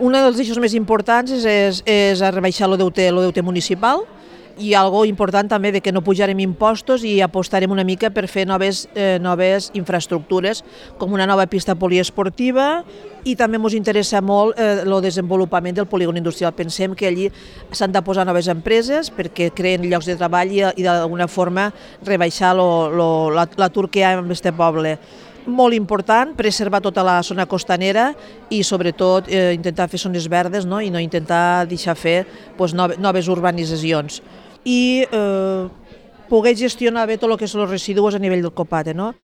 Un dels eixos més importants és rebaixar el deute municipal i algo important també de que no pujarem impostos i apostarem una mica per fer noves infraestructures, com una nova pista poliesportiva, i també ens interessa molt el desenvolupament del polígon industrial. Pensem que allí s'han de posar noves empreses perquè creen llocs de treball i d'alguna forma rebaixar l'atur que hi ha en aquest poble. Molt important preservar tota la zona costanera i sobretot intentar fer zones verdes, no? I no intentar deixar fer noves urbanitzacions i poder gestionar bé tot el que són els residus a nivell del COPATE, no?